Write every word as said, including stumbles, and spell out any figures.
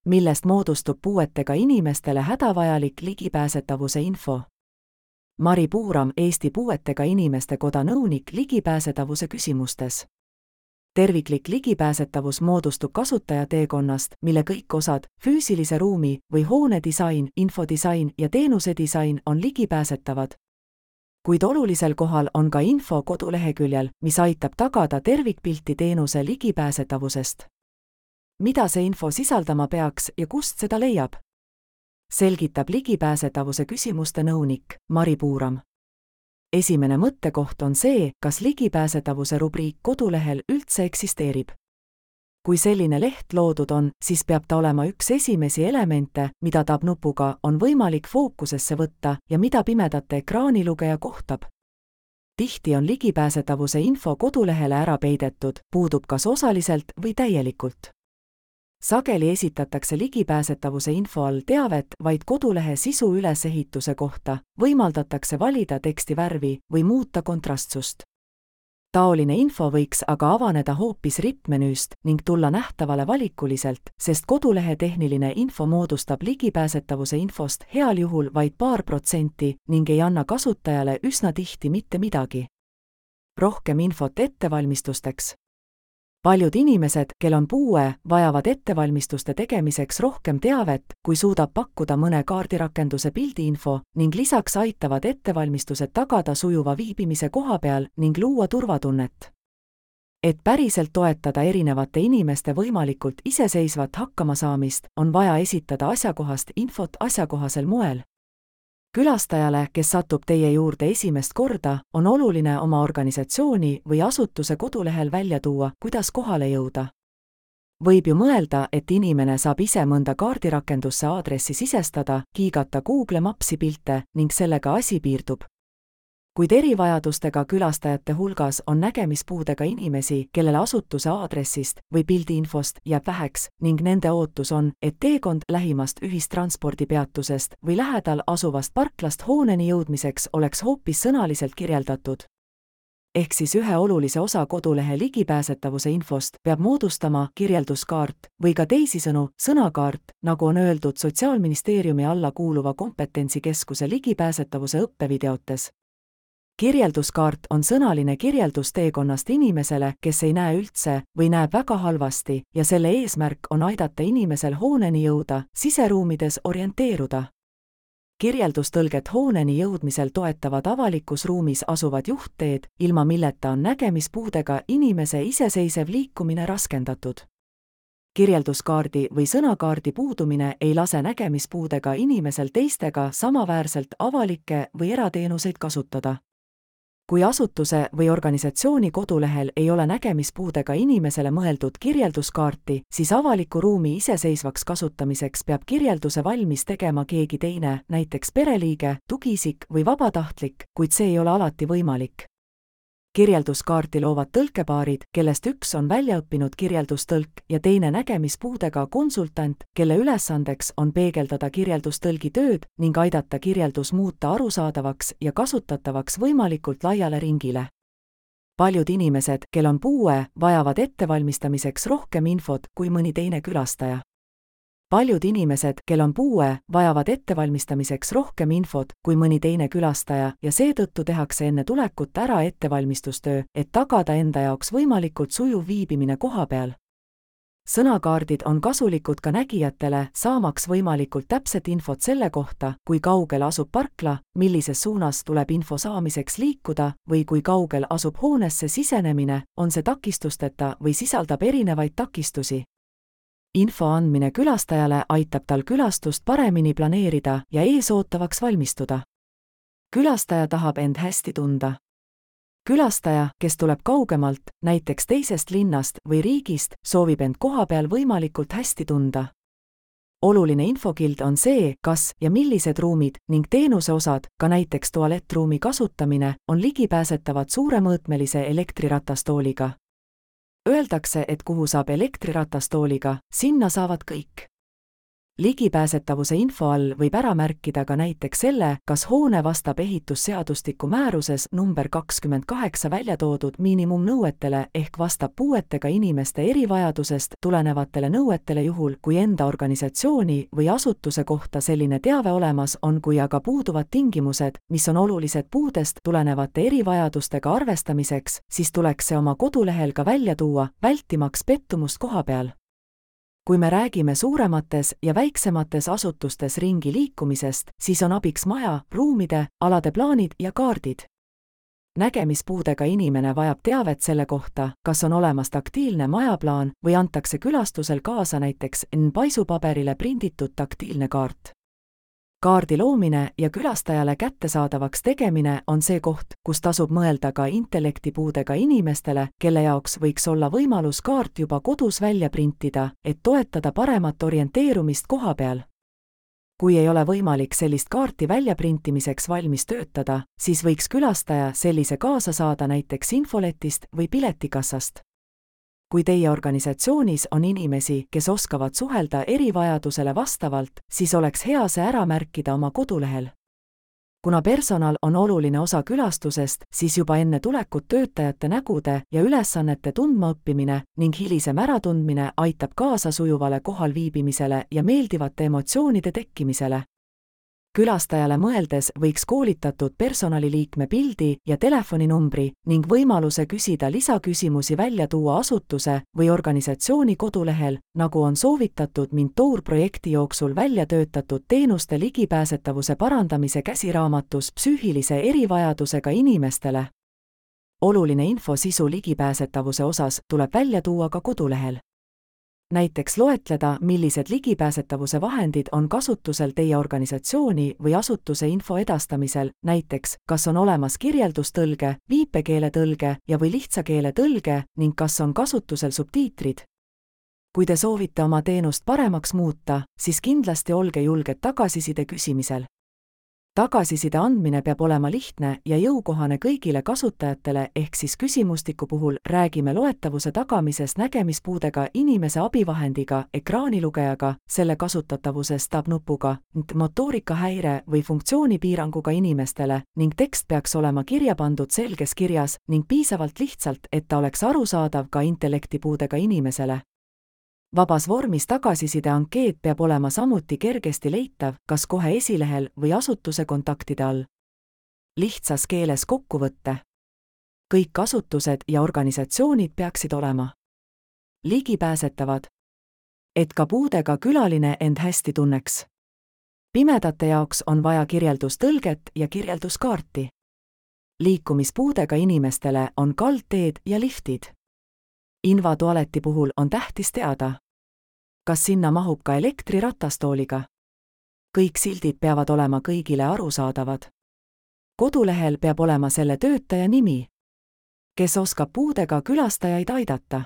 millest moodustub puuetega inimestele hädavajalik ligipääsetavuse info. Mari Puuram, Eesti Puuetega Inimeste Koda nõunik ligipääsetavuse küsimustes. Terviklik ligipääsetavus moodustub kasutajateekonnast, mille kõik osad, füüsilise ruumi või hoone disain, infodisain ja teenuse disain on ligipääsetavad. Kuid olulisel kohal on ka info koduleheküljel, mis aitab tagada tervikpilti teenuse ligipääsetavusest. Mida see info sisaldama peaks ja kust seda leiab? Selgitab ligipääsetavuse küsimuste nõunik Mari Puuram. Esimene mõttekoht on see, kas ligipääsetavuse rubriik kodulehel üldse eksisteerib. Kui selline leht loodud on, siis peab ta olema üks esimesi elemente, mida tab-nupuga on võimalik fookusesse võtta ja mida pimedate ekraanilugeja kohtab. Tihti on ligipääsetavuse info kodulehele ära peidetud, puudub kas osaliselt või täielikult. Sageli esitatakse ligipääsetavuse info all teavet vaid kodulehe sisu ülesehituse kohta, võimaldatakse valida teksti värvi või muuta kontrastsust. Taoline info võiks aga avaneda hoopis rippmenüüst ning tulla nähtavale valikuliselt, sest kodulehe tehniline info moodustab ligipääsetavuse infost heal juhul vaid paar protsenti ning ei anna kasutajale üsna tihti mitte midagi. Rohkem infot ettevalmistusteks. Paljud inimesed, kel on puue, vajavad ettevalmistuste tegemiseks rohkem teavet, kui suudab pakkuda mõne kaardirakenduse pildiinfo ning lisaks aitavad ettevalmistused tagada sujuva viibimise kohapeal ning luua turvatunnet. Et päriselt toetada erinevate inimeste võimalikult iseseisvat hakkamasaamist, on vaja esitada asjakohast infot asjakohasel moel. Külastajale, kes satub teie juurde esimest korda, on oluline oma organisatsiooni või asutuse kodulehel välja tuua, kuidas kohale jõuda. Võib ju mõelda, et inimene saab ise mõnda kaardirakendusse aadressi sisestada, kiigata Google Mapsi pilte ning sellega asi piirdub. Kuid erivajadustega külastajate hulgas on nägemispuudega inimesi, kellele asutuse aadressist või pildiinfost jääb väheks ning nende ootus on, et teekond lähimast ühistranspordipeatusest või lähedal asuvast parklast hooneni jõudmiseks oleks hoopis sõnaliselt kirjeldatud. Ehk siis ühe olulise osa kodulehe ligipääsetavuse infost peab moodustama kirjelduskaart või ka teisisõnu sõnakaart, nagu on öeldud Sotsiaalministeeriumi alla kuuluva kompetentsikeskuse ligipääsetavuse õppevideotes. Kirjelduskaart on sõnaline kirjeldus teekonnast inimesele, kes ei näe üldse või näeb väga halvasti ja selle eesmärk on aidata inimesel hooneni jõuda, siseruumides orienteeruda. Kirjeldustõlget hooneni jõudmisel toetavad avalikus ruumis asuvad juhtteed, ilma milleta on nägemispuudega inimese iseseisev liikumine raskendatud. Kirjelduskaardi või sõnakaardi puudumine ei lase nägemispuudega inimesel teistega samaväärselt avalikke või erateenuseid kasutada. Kui asutuse või organisatsiooni kodulehel ei ole nägemispuudega inimesele mõeldud kirjelduskaarti, siis avaliku ruumi iseseisvaks kasutamiseks peab kirjelduse valmis tegema keegi teine, näiteks pereliige, tugiisik või vabatahtlik, kuid see ei ole alati võimalik. Kirjelduskaarti loovad tõlkepaarid, kellest üks on väljaõppinud kirjeldustõlk ja teine nägemispuudega konsultant, kelle ülesandeks on peegeldada kirjeldustõlgi tööd ning aidata kirjeldus muuta arusaadavaks ja kasutatavaks võimalikult laiale ringile. Paljud inimesed, kel on puue, vajavad ettevalmistamiseks rohkem infot kui mõni teine külastaja. Paljud inimesed, kel on puue, vajavad ettevalmistamiseks rohkem infot kui mõni teine külastaja ja seetõttu tehakse enne tulekut ära ettevalmistustöö, et tagada enda jaoks võimalikult sujuv viibimine kohapeal. Sõnakaardid on kasulikud ka nägijatele, saamaks võimalikult täpset infot selle kohta, kui kaugel asub parkla, millises suunas tuleb info saamiseks liikuda või kui kaugel asub hoonesse sisenemine, on see takistusteta või sisaldab erinevaid takistusi. Info andmine külastajale aitab tal külastust paremini planeerida ja eesootavaks valmistuda. Külastaja tahab end hästi tunda. Külastaja, kes tuleb kaugemalt, näiteks teisest linnast või riigist, soovib end kohapeal võimalikult hästi tunda. Oluline infokild on see, kas ja millised ruumid ning teenuseosad, ka näiteks tualettruumi kasutamine, on ligipääsetavad suuremõõtmelise elektriratastooliga. Öeldakse, et kuhu saab elektriratastooliga, sinna saavad kõik. Ligipääsetavuse info all võib ära märkida ka näiteks selle, kas hoone vastab ehitusseadustiku määruses number kakskümmend kaheksa välja toodud miinimumnõuetele ehk vastab puuetega inimeste erivajadusest tulenevatele nõuetele juhul, kui enda organisatsiooni või asutuse kohta selline teave olemas on, kui aga puuduvad tingimused, mis on olulised puudest tulenevate erivajadustega arvestamiseks, siis tuleks see oma kodulehel ka välja tuua, vältimaks pettumust kohapeal. Kui me räägime suuremates ja väiksemates asutustes ringi liikumisest, siis on abiks maja, ruumide, alade plaanid ja kaardid. Nägemispuudega inimene vajab teavet selle kohta, kas on olemas taktiilne majaplaan või antakse külastusel kaasa näiteks paisupaberile prinditud taktiilne kaart. Kaardi loomine ja külastajale kättesaadavaks tegemine on see koht, kus tasub mõelda ka intellektipuudega inimestele, kelle jaoks võiks olla võimalus kaart juba kodus välja printida, et toetada paremat orienteerumist kohapeal. Kui ei ole võimalik sellist kaarti väljaprintimiseks valmis töötada, siis võiks külastaja sellise kaasa saada näiteks infoletist või piletikassast. Kui teie organisatsioonis on inimesi, kes oskavad suhelda erivajadusele vastavalt, siis oleks hea see ära märkida oma kodulehel. Kuna personal on oluline osa külastusest, siis juba enne tulekut töötajate nägude ja ülesannete tundmaõppimine ning hilisem äratundmine aitab kaasa sujuvale kohalviibimisele ja meeldivate emotsioonide tekkimisele. Külastajale mõeldes võiks koolitatud personaliliikme pildi ja telefoninumbri ning võimaluse küsida lisaküsimusi välja tuua asutuse või organisatsiooni kodulehel, nagu on soovitatud Mintour projekti jooksul välja töötatud teenuste ligipääsetavuse parandamise käsiraamatus psüühilise erivajadusega inimestele. Oluline info sisu ligipääsetavuse osas tuleb välja tuua ka kodulehel. Näiteks loetleda, millised ligipääsetavuse vahendid on kasutusel teie organisatsiooni või asutuse info edastamisel, näiteks kas on olemas kirjeldustõlge, viipekeeletõlge ja või lihtsakeeletõlge ning kas on kasutusel subtiitrid. Kui te soovite oma teenust paremaks muuta, siis kindlasti olge julged tagasiside küsimisel. Tagasiside andmine peab olema lihtne ja jõukohane kõigile kasutajatele ehk siis küsimustiku puhul räägime loetavuse tagamisest nägemispuudega inimese abivahendiga, ekraanilugejaga, selle kasutatavusest tab-nupuga, motoorikahäire või funktsioonipiiranguga inimestele ning tekst peaks olema kirja pandud selges kirjas ning piisavalt lihtsalt, et ta oleks arusaadav ka intellektipuudega inimesele. Vabas vormis tagasiside ankeet peab olema samuti kergesti leitav, kas kohe esilehel või asutuse kontaktide all. Lihtsas keeles kokkuvõtte. Kõik asutused ja organisatsioonid peaksid olema ligipääsetavad, et ka puudega külaline end hästi tunneks. Pimedate jaoks on vaja kirjeldustõlget ja kirjelduskaarti. Liikumispuudega inimestele on kaldteed ja liftid. Invatualeti puhul on tähtis teada, kas sinna mahub ka elektriratastooliga. Kõik sildid peavad olema kõigile arusaadavad. Kodulehel peab olema selle töötaja nimi, kes oskab puudega külastajaid aidata.